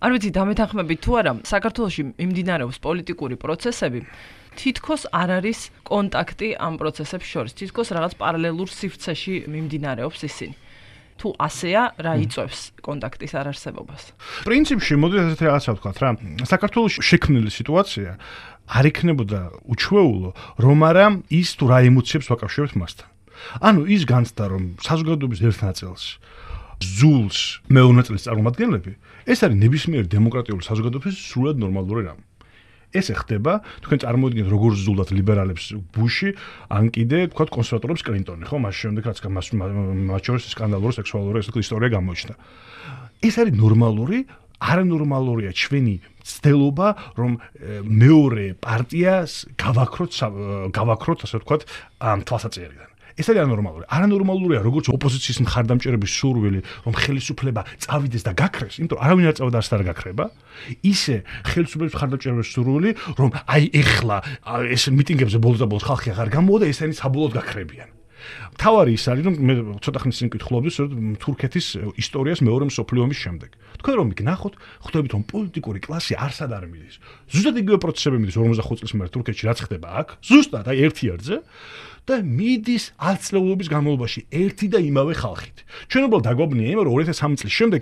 არ ვიცი დამეთანხმებით თუ არა, საქართველოში მიმდინარეობს პოლიტიკური პროცესები, თითქოს არ არის კონტაქტი ამ პროცესებს შორის, თითქოს რაღაც პარალელურ სივრცეში მიმდინარეობს ისინი. თუ ასეა, რა იწვევს კონტაქტის არარსებობას? პრინციპში მოდი ესეთი რაღაცა ვთქვათ რა. საქართველოს შექმნილი სიტუაცია არ იქნებოდა უჩვეულო, რომ არა ის თუ რა ემოციებს ვაკავშირებთ მასთან. ანუ ის განცდა, რომ საზოგადოების ერთ ნაწილს ზულს მეორე ნაწილის წარმომადგენლები, ეს არის ნებისმიერი დემოკრატიული საზოგადოების სრულად ნორმალური რამ. ეს ხდება, თქვენ წარმოიდგინეთ როგორ ზულდათ ლიბერალებს ბუში, ან კიდე თქვათ კონსერვატორებს კლინტონი, ხო, მას შემდეგ რაც მათ შორის სკანდალური სექსუალური ისტორია გამოჩნდა. ეს არის ნორმალური, არანორმალურია ჩვენი ცდელობა, რომ მეორე პარტიას გავაქროთ, ასე ვთქვათ, თვალსაჩინარიდან. ეს არის ანორმალური. არანორმალურია, როგორც ოპოზიციის მხარდამჭერების სურვილი, რომ ხელისუფლება წავიდეს და გაქრეს, იმიტომ რომ არავინ არ წავიდა და არ გაქრება, ისე ხელისუფლების მხარდამჭერების სურვილი, რომ აი ეხლა ეს მიტინგებზე ბოლოს და ბოლოს ხალხი აღარ გამოვიდა, ესენი საბოლოოდ გაქრებიან. თავარი ის არის, რომ მე ცოტა ხნის წინ ვკითხულობდი თურქეთის ისტორიას მეორე მსოფლიო ომის შემდეგ. თქვენ რომ მიგნახოთ, ხვდებით რომ პოლიტიკური კლასი არსად არ მიდის. ზუსტად იგივე პროცესები მიდის 45 წლის მერე თურქეთში, რაც ხდება აქ, ზუსტად აი ერთი ერთზე. და მიდის 10 წლების განმავლობაში ერთი და იმავე ხალხით. ჩვენ უბრალოდ დაგვაბნია იმ რომ 2003 წლის შემდეგ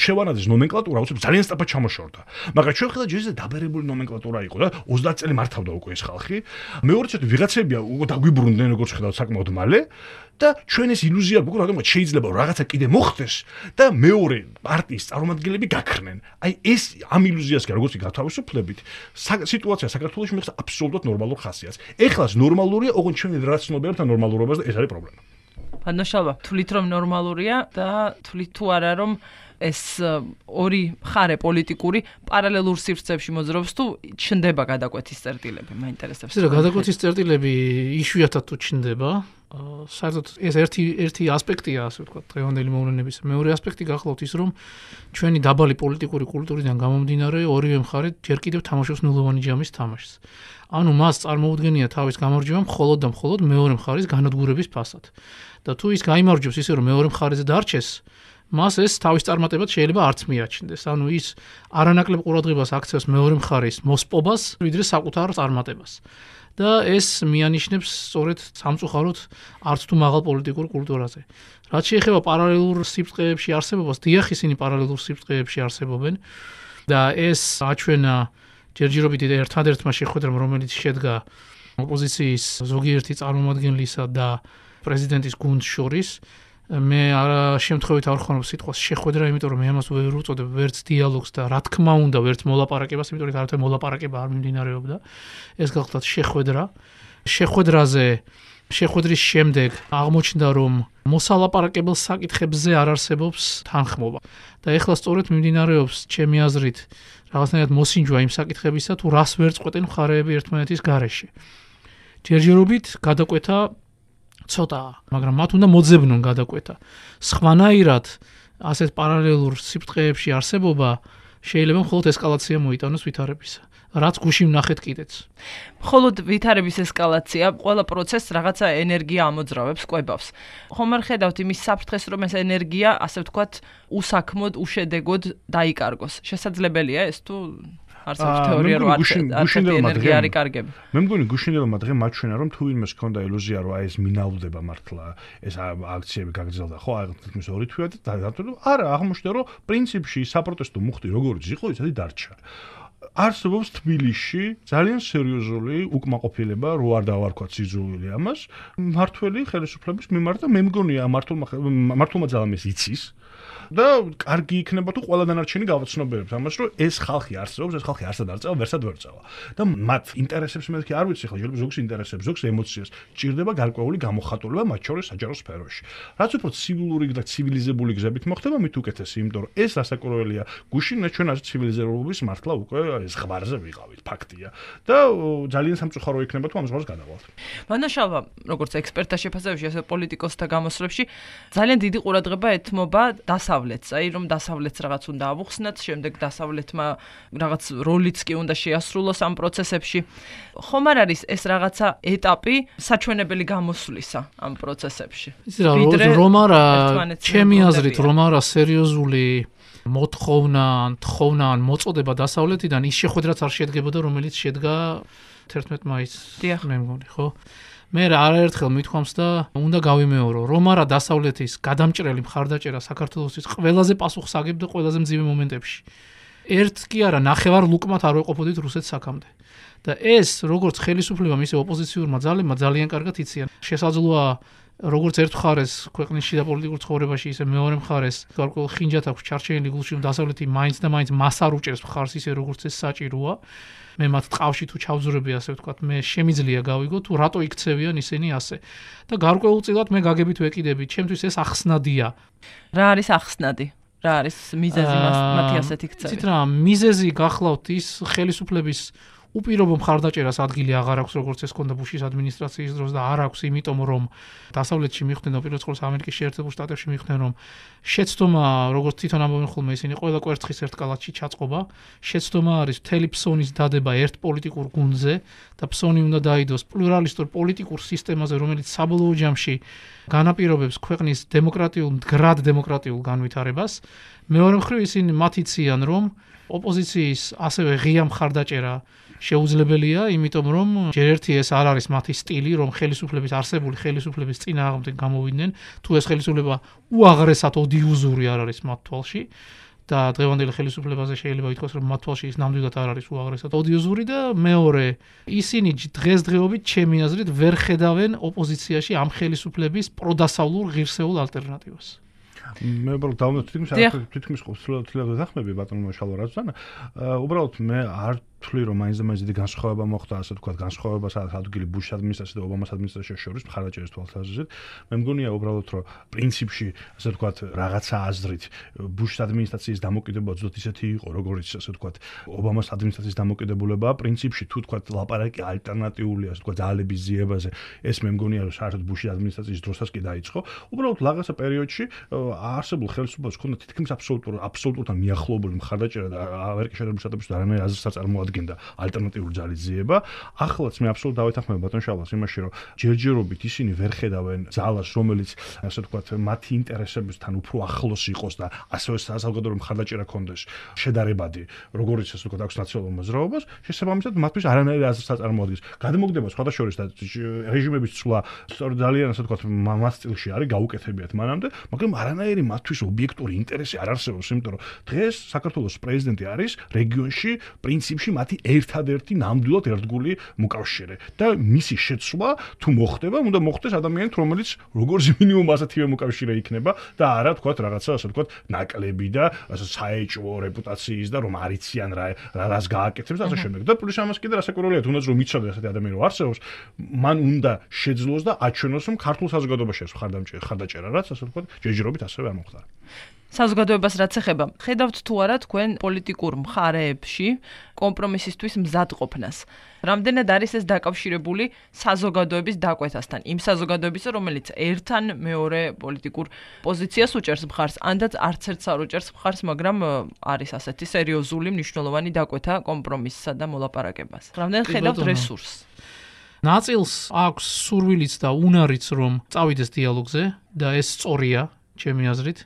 შევანაძის ნომენკლატურა უცებ ძალიან სწრაფად ჩამოშორდა. მაგრამ ჩვენ ხედავთ ჯერ დაბერებული ნომენკლატურა იყო და 30 წელი მართავდა უკვე ეს ხალხი. მეორეც ვიღაცებია უკვე დაგვიბრუნდნენ როგორც ხედავთ საკმაოდ მალე და ჩვენ ეს ილუზია გვაქვს რომ შეიძლება რაღაცა კიდე მოხდეს და მეორე პარტიის წარმომადგენლები გაქრნენ. აი ეს ამ ილუზიასკენ როგორც გათავისუფლებით, სიტუაცია საქართველოში მიღწევს აბსოლუტურად ნორმალურ ხასიათს. ეხლაც ნორმალურია, ოღონდ ჩვენ რა ცნობიერებთ ამ ნორმალურობას და ეს არის პრობლემა. ბანოშალვა, თვლით რომ ნორმალურია და თვლით თუ არა რომ ეს ორი მხარე პოლიტიკური პარალელურ სივრცეებში მოძრაობს თუ ჩნდება გადაკვეთის წერტილები, მაინტერესებს. რა გადაკვეთის წერტილები იშვიათად თუ ჩნდება, საერთოდ ეს ერთი ასპექტია, ასე ვთქვათ, დღევანდელი მოვლენების. მეორე ასპექტი გახლავთ ის, რომ ჩვენი დაბალი პოლიტიკური კულტურიდან გამომდინარე, ორივე მხარე ჯერ კიდევ თამაშობს ნულოვანი ჯამის თამაშს. ანუ მას წარმოუდგენია თავის გამარჯვება მხოლოდ და მხოლოდ მეორე მხარის განადგურების ფასად. და თუ ის გაიმარჯვებს ისე რომ მეორე მხარეზე დარჩეს, მას ეს თავის წარმატებად შეიძლება არც მიაჩნდეს. ანუ ის არანაკლებ ყურადღებას აქცევს მეორე მხარის მოსპობას, ვიდრე საკუთარ წარმატებას. და ეს მიანიშნებს სწორედ სამწუხაროდ არც თუ მაღალ პოლიტიკურ კულტურაზე. რაც შეეხება პარალელურ სიბრტყეებში არსებობას, დიახ, ისინი პარალელურ სიბრტყეებში არსებობენ და ეს აჩვენა ჯერჯერობით ერთადერთმა შეხვედრამ, რომელიც შედგა ოპოზიციის ზოგიერთი წარმომადგენლისა და პრეზიდენტის გუნდს შორის. მე შემთხვევით არ ხონებ სიტყვას შეხვედრა, იმიტომ რომ მე ამას ვერ უწოდებ ვერც დიალოგს და რა თქმა უნდა ვერც მოლაპარაკებას, იმიტომ რომ არათუ მოლაპარაკება არ მიმდინარეობდა. ეს გახლავთ შეხვედრა. შეხვედრის შემდეგ აღმოჩნდა, რომ მოსალაპარაკებელ საკითხებზე არ არსებობს თანხმობა. და ეხლა სწორედ მიმდინარეობს ჩემი აზრით რაღაცნაირად მოსინჯვა იმ საკითხებისა, თუ რას ვერ წყვეტენ მხარეები ერთმანეთის გარეშე. ჯერჯერობით გადაკვეთა ცოტაა, მაგრამ მათ უნდა მოძებნონ გადაკვეთა. სხვანაირად ასეთ პარალელურ სიბრტყეებში არსებობა შეიძლება მხოლოდ ესკალაცია მოიტანოს ვითარებისა. რაც გუშინ ვნახეთ კიდეც. მხოლოდ ვითარების ესკალაცია ყველა პროცესს რაღაცა ენერგია ამოძრავებს, კვებავს. ხომ არ ხედავთ იმის საფრთხეს, რომ ეს ენერგია, ასე ვთქვათ, უსაქმოდ, უშედეგოდ დაიკარგოს. შესაძლებელია ეს თუ არსებობს თეორია რომ ენერგია არ იკარგება. მე მგონი გუშინდელმა დღემ მაჩვენა რომ თუ ვინმეს ჰქონდა ილუზია რომ აი ეს მინაუდება მართლა ეს აქციები გაგრძელდა ხო აი თითქმის 2 თვეა და დადო არა აღმოჩნდა რომ პრინციპში საპროტესტო მუხტი როგორც იყო ისეთი დარჩა. არსებობს თბილისში ძალიან სერიოზული უკმაყოფილება, რო არ დავარქვათ სიძულვილი ამას, მართველი ხელისუფლების მიმართ და მე მგონია მართლმა ძალამეს იცის და კარგი იქნება თუ ყველა დანარჩენი გავაცნობიერებთ ამას, რომ ეს ხალხი არსებობს, ეს ხალხი არსად არ წავა, ვერსად ვერ წავა. და მათ ინტერესებს მეთქი არ ვიცი ხო, შეიძლება ზოგს ინტერესებს, ზოგს ემოციას, ჭირდება გარკვეული გამოხატულება მათ შორის საჯარო სფეროში. რაც უფრო ცივილური და ცივილიზებული გზებით მოხდება, მით უკეთესი, იმიტომ რომ ეს ასაკურველია გუშინ ჩვენ ასე ცივილიზებულობის მართლა უკვე ეს ღვარზე ვიყავით, ფაქტია. და ძალიან სამწუხარო იქნება თუ ამ ზღვარს გადავალთ. მანაშალვა, როგორც ექსპერტთა შეფასებაში, ასე პოლიტიკოსთა გამოსვლებში ძალიან დიდი ყურადღება ეთმობა დასავლეთს. აი რომ დასავლეთს რაღაც უნდა ავუხსნათ, შემდეგ დასავლეთმა რაღაც როლიც კი უნდა შეასრულოს ამ პროცესებში. ხომ არ არის ეს რაღაცა ეტაპი საჩვენებელი გამოსვლისა ამ პროცესებში? რომ არა, ჩემი აზრით, რომ არა სერიოზული თხოვნა ან მოწოდება დასავლეთიდან ის შეხვედრაც არ შედგებოდა, რომელიც შედგა 11 მაისს, მე მგონი, ხო? მე არაერთხელ მithქვამს და უნდა გავიმეორო, რომ არა დასავლეთის გადამჭრელი მხარდაჭერა საქართველოსის ყველაზე პასუხსაგებ და ყველაზე მძიმე მომენტებში. ერთ კი არა, ნახევარ ლუკმად არ ვეყოფოდით რუსეთს აქამდე. და ეს როგორც ხელისუფლებამ, ისე ოპოზიციურმა ძალებმა ძალიან კარგად იციან. შესაძლოა როგორც ერთ მხარეს ქვეყნის შიდა პოლიტიკურ ცხოვრებაში, ისე მეორე მხარეს გარკვეულ ხინჯად აქვს ჩარჩენილი გულში, რომ დასავლეთი მაინც და მაინც მას არ უჭერს მხარს ისე როგორც ეს საჭიროა. მე მათ ტყავში თუ ჩავზურები, ასე ვთქვათ, მე შემიძლია გავიგო თუ რატო იქცევიან ისინი ასე. და გარკვეულწილად მე გაგებით ვეკიდები, ჩემთვის ეს ახსნადია. რა არის ახსნადი? რა არის მიზეზი მათი ასეთი ქცევი? იცით რა, მიზეზი გახლავთ ის ხელისუფლების უპირობო მხარდაჭერას ადგილი აღარ აქვს, როგორც ეს ქონდა ბუშის ადმინისტრაციის დროს და არ აქვს, იმიტომ რომ დასავლეთში მიხვდნენ და პირველ რიგში ამერიკის შეერთებულ შტატებში მიხვდნენ, რომ შეცდომა, როგორც თვითონ ამბობენ ხოლმე ისინი, ყველა კვერცხის ერთ კალათში ჩაწყობა, შეცდომა არის მთელი ფსონის დადება ერთ პოლიტიკურ გუნდზე და ფსონი უნდა დაიდოს პლურალისტურ პოლიტიკურ სისტემაზე, რომელიც საბოლოო ჯამში განაპირობებს ქვეყნის მდგრად დემოკრატიულ განვითარებას. მეორე მხრივ ისინი მათ იციან, რომ ოპოზიციის ასევე ღია მხარდაჭერა შეუძლებელია, იმიტომ რომ ჯერ ერთი ეს არ არის მათი სტილი, რომ ხელისუფლების არსებული ხელისუფლების წინააღმდეგ გამოვიდნენ, თუ ეს ხელისუფლება უაღრესად ოდიოზური არ არის მათ თვალში და დღევანდელი ხელისუფლებაზე შეიძლება ითქვას, რომ მათ თვალში ის ნამდვილად არ არის უაღრესად ოდიოზური და მეორე, ისინი დღესდღეობით ჩემი აზრით ვერ ხედავენ ოპოზიციაში ამ ხელისუფლების პროდასავლურ ღირსეულ ალტერნატივას. მე უბრალოდ თითქმის ყოველდღიურად ვახმები ბატონო შალვარაძეთან. უბრალოდ მე არ თვლი რომ მაინც და მაინც დიდი განსხვავება მოხდა, ასე ვთქვათ, განსხვავება სადაც ადგილი ბუშის ადმინისტრაციასა და ობამას ადმინისტრაციას შორის მხარდაჭერის თვალსაზრისით. მე მგონია უბრალოდ რომ პრინციპში, ასე ვთქვათ, რაღაცა აზრით ბუშის ადმინისტრაციის დამოკიდებულება ზუსტ ისეთი იყო, როგორც ასე ვთქვათ, ობამას ადმინისტრაციის დამოკიდებულება, პრინციპში თუ ვთქვათ, ლაპარაკი ალტერნატიული, ასე ვთქვათ, ძალების ძიებაზე, ეს მე მგონია რომ საერთოდ ბუშის ადმინისტრაციის დროსაც კი დაიწყო. უბრალოდ რაღაცა პერიოდში არსებულ ხელისუფლებას ჰქონდა თითქმის აბსოლუტურად მიახლოებული მხარდაჭერა და ამერიკის შეერთებული შტატებში არანაირ აზრს არ წარმოადგენდა ალტერნატიული ძალის ძიება. ახლაც მე აბსოლუტურად დავეთანხმებ ბატონ შალვას იმაში, რომ ჯერჯერობით ისინი ვერ ხედავენ ძალას, რომელიც ასე ვთქვათ, მათი ინტერესებთან უფრო ახლოს იყოს და ასევე საზოგადოებრივი მხარდაჭერა ქონდეს შედარებადი, როგორც ასე ვთქვათ, აქვს ნაციონალურ მოძრაობას, შესაბამისად მათთვის არანაირ აზრს არ წარმოადგენს. გადმოგდება სხვადასხვა და რეჟიმების ცვლა სწორედ ძალიან ასე ვთქვათ, მას სტილში არის გაუკეთებიათ მანამდე, მაგრამ არანაირი მათთვის ობიექტური ინტერესი არ არსებობს, იმიტომ რომ დღეს საქართველოს პრეზიდენტი არის რეგიონში პრინციპში მათი ერთადერთი ნამდვილად ერთგული მოკავშირე და მისი შეცვლა თუ მოხდება, უნდა მოხდეს ადამიანით, რომელიც როგორც მინიმუმ ასეთივე მოკავშირე იქნება და არა თქვათ რაღაცა ასე ვთქვათ, ნაკლები და საეჭვო რეპუტაციის და რომ არიციან რას გააკეთებს და ასე შემდეგ. და პლუს ამას კიდე რასაკვირველია, თუნდაც რომ მიცოდეს ასეთი ადამიანი რომ არსებობს, მან უნდა შეძლოს და აჩვენოს, რომ ქართულ საზოგადოებაში არის მხარდაჭერა, რაც ასე ვთქვათ, ჯერჯერობით ასევე არ მომხდარა. საზოგადოებას რაც ეხება, ხედავთ თუ არა თქვენ პოლიტიკურ მხარეებში კომპრომისისთვის მზადყოფნას? რამდენად არის ეს დაკავშირებული საზოგადოების დაკვეთასთან? იმ საზოგადოებისა, რომელიც ერთან მეორე პოლიტიკურ პოზიციას უჭერს მხარს, ანდაც არც ერთს არ უჭერს მხარს, მაგრამ არის ასეთი სერიოზული მნიშვნელოვანი დაკვეთა კომპრომისსა და მოლაპარაკებას. რამდენად ხედავთ რესურსს? ნაწილს აქვს სურვილიც და უნარიც, რომ წავიდეს დიალოგზე და ეს სწორია, ჩემი აზრით.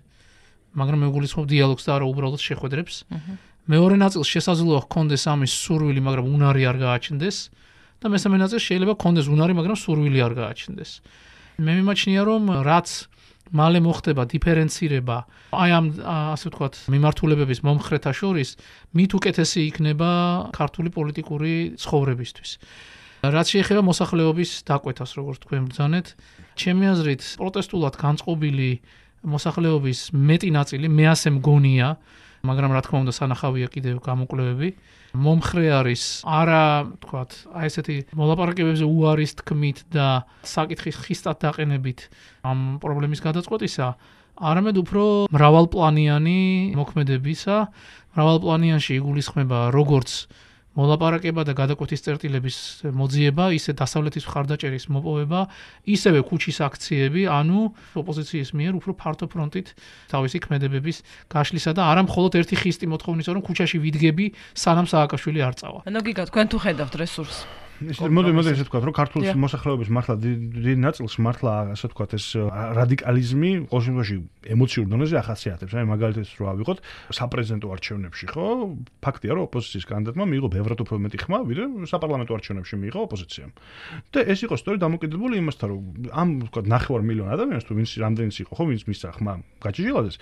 მაგრამ მე გულისხმობ დიალოგს და არა უბრალოდ შეხვედრებს. მეორე ნაწილს შესაძლოა ჰქონდეს ამის სურვილი, მაგრამ უნარი არ გააჩნდეს და მესამე ნაწილს შეიძლება ჰქონდეს უნარი, მაგრამ სურვილი არ გააჩნდეს. მე მიმაჩნია, რომ რაც მალე მოხდება დიფერენცირება აი ამ ასე ვთქვათ, მიმართულებების მომხრეთა შორის, მით უკეთესი იქნება ქართული პოლიტიკური ცხოვრებისთვის. რაც შეეხება მოსახლეობის დაკვეთას, როგორც თქვენ ბრძანეთ, ჩემი აზრით, პროტესტულად განწყობილი მოსახლეობის მეტი ნაწილი, მე ასე მგონია, მაგრამ რა თქმა უნდა სანახავია კიდევ გამოკვლევები, მომხრე არის არა, თქვათ, აი ესეთი მოლაპარაკებებზე უარის თქმით და საკითხის ხისტად დაყენებით ამ პრობლემის გადაწყვეტისა, არამედ უფრო მრავალპლანიანი მოქმედებისა, მრავალპლანიანში იგულისხმება როგორც მოლაპარაკება და გადაკვეთის წერტილების მოძიება, ისე დასავლეთის მხარდაჭერის მოპოვება, ისევე ქუჩის აქციები, ანუ ოპოზიციის მიერ უფრო ფართო ფრონტით თავისი ქმედებების გაშლისა და არა მხოლოდ ერთი ხისტი მოთხოვნის, რომ ქუჩაში ვიდგები, სანამ სააკაშვილი არ წავა. ანუ გიგა, თქვენ თუ ხედავთ რესურსს? მოდი ესე ვთქვათ, რომ ქართული მოსახლეობის მართლა დიდ ნაწილს მართლა ასე ვთქვათ ეს რადიკალიზმი ყოველ შემთხვევაში ემოციურ დონეზე ახასიათებს. აი მაგალითად რო ავიღოთ საპრეზიდენტო არჩევნებში, ხო? ფაქტია, რომ ოპოზიციის კანდიდატმა მიიღო ბევრად უფრო მეტი ხმა, ვიდრე საპარლამენტო არჩევნებში მიიღო ოპოზიციამ. და ეს იყო სწორედ დამოკიდებული იმასთან, რომ ამ ვთქვათ 9 მილიონი ადამიანს თუ ვინც რამდენიც იყო, ხო, ვინც მისცა ხმა გაჭიჟილადეს,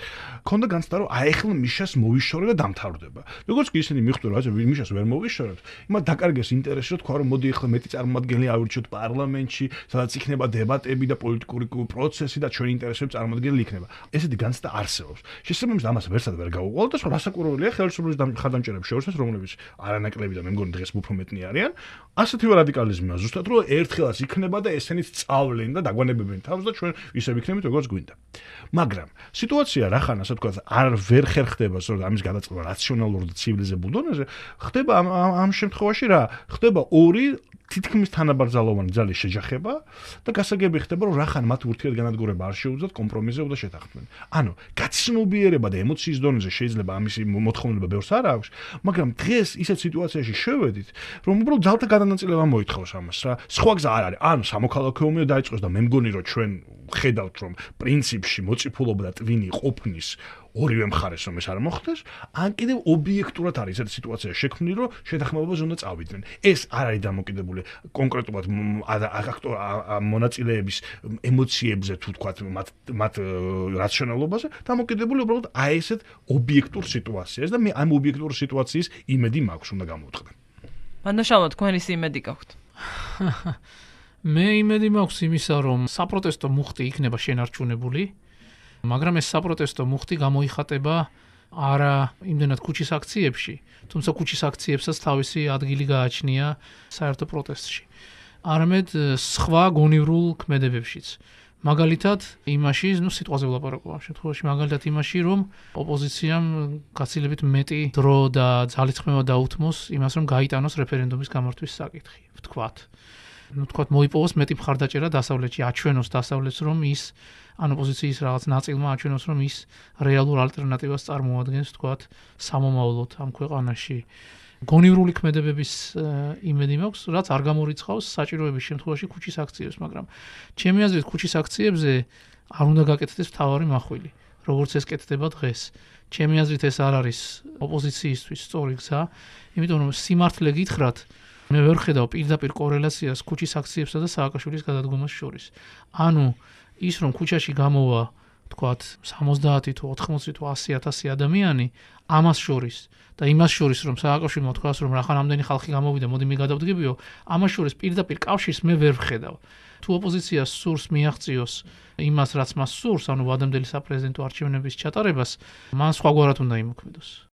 ქონდა განცდა, რომ აი ახლა მიშას მოვიშორე და დამთავრდება. როგორც კი ისინი მიხვდნენ, რომ აი მიშას ვერ მოვიშორებთ, იმათ დაკარგეს ინტერესი, რომ თქვა, რომ მოდი ახლა მეტი წარმომადგენელი ავირჩიოთ პარლამენტში, სადაც იქნება დებატები და პოლიტიკური პროცესი და ჩვენი ინტერესები წარმომადგენელი იქნება. ესეთი განცდა არსებობს. შესაბამისად ამას ვერსად ვერ გაუყოლოთ და რასაკურველია ხელისუფლების ხადამჭერებს შორისაც, რომლებიც არანაკლები და მე მგონი დღეს უფრო მეტნი არიან. ასეთივე რადიკალიზმია ზუსტად რომ ერთხელაც იქნება და ესენიც სწავლენ და დაგვანებებენ თავს და ჩვენ ისე ვიქნებით როგორც გვინდა. მაგრამ სიტუაცია რახან ასე ვთქვათ არ ვერ ხერხდება სწორედ ამის გადაწყობა რაციონალურ და ცივილიზებულ დონეზე, ხდება ამ შემთხვევაში რა? ხდება ორი თითქმის თანაბრძოლოვანი ძალის შეჯახება და გასაგები ხდება რომ რახან მათ ურთიერთგანადგურება არ შეუძლიათ კომპრომისზე და შეთანხმდნენ. ანუ გაცნობიერება და ემოციის დონეზე შეიძლება ამისი მოთხოვნება ბევრს არ აქვს, მაგრამ დღეს ისეთ სიტუაციაში შევედით, რომ უბრალოდ ძალთა გადანაწილება მოითხოვს ამას რა. სხვა გზა არ არის. ანუ სამოქალაქო ომი დაიწყოს და მე მგონი რომ ჩვენ ხედავთ რომ პრინციპში მოწიფულობა და ტვინი ყოფნის ორივე მხარეს რომ ეს არ მოხდეს, ან კიდევ ობიექტურად არის ესეთი სიტუაცია შექმნილი, რომ შეთანხმებაზე უნდა წავიდნენ. ეს არ არის დამოკიდებული კონკრეტულად მონაწილეების ემოციებზე თუ თქვათ მათ რაციონალობაზე, დამოკიდებული უბრალოდ აი ესეთ ობიექტურ სიტუაციას და მე ამ ობიექტურ სიტუაციის იმედი მაქვს უნდა გამოვთხრა. მანდაშალო, თქვენ ის იმედი გაქვთ? მე იმედი მაქვს იმისა, რომ საპროტესტო მუხტი იქნება შენარჩუნებული. მაგრამ ეს საპროტესტო მუხტი გამოიხატება არა იმდენად ქუჩის აქციებში, თუმცა ქუჩის აქციებსაც თავისი ადგილი გააჩნია საერთო პროტესტში. არამედ სხვა გონივრულ ქმედებებშიც. მაგალითად იმაში, სიტყვაზე ვლაპარაკობ ამ შემთხვევაში, მაგალითად იმაში, რომ ოპოზიციამ გაცილებით მეტი დრო და ძალისხმევა დაუთმოს იმას, რომ გაიტანოს რეფერენდუმის გამართვის საკითხი, ვთქვათ. თქვათ მოიპოვოს მეტი მხარდაჭერა დასავლეთში, აჩვენოს დასავლეთს, რომ ის ან ოპოზიციის რაღაც ნაწილმა აჩვენოს, რომ ის რეალურ ალტერნატივას წარმოადგენს, თქვათ, სამომავლოდ ამ ქვეყანაში. გონივრული ქმედებების იმედი მაქვს, რაც არ გამორიცხავს საჭიროების შემთხვევაში ქუჩის აქციებს, მაგრამ ჩემი აზრით ქუჩის აქციებზე არ უნდა გაკეთდეს მთავარი მახვილი, როგორც ეს კეთდება დღეს. ჩემი აზრით ეს არ არის ოპოზიციისთვის სწორი გზა, იმიტომ რომ სიმართლე გითხრათ, მე ვერ ხედავ პირდაპირ კორელაციას ქუჩის აქციებსა და სააკაშვილის გადადგომას შორის. ანუ ის რომ ქუჩაში გამოვა, თქვათ, 70 თუ 80 თუ 100,000 ადამიანი, ამას შორის და იმას შორის რომ სააკაშვილმა თქვას რომ რახან ამდენი ხალხი გამოვიდა, მოდი მე გადავდგებიო, ამას შორის პირდაპირ კავშირს მე ვერ ვხედავ. თუ ოპოზიციას სურს მიაღწიოს იმას, რაც მას სურს, ანუ ვადამდელი საპრეზიდენტო არჩევნების ჩატარებას, მან სხვაგვარად უნდა იმოქმედოს.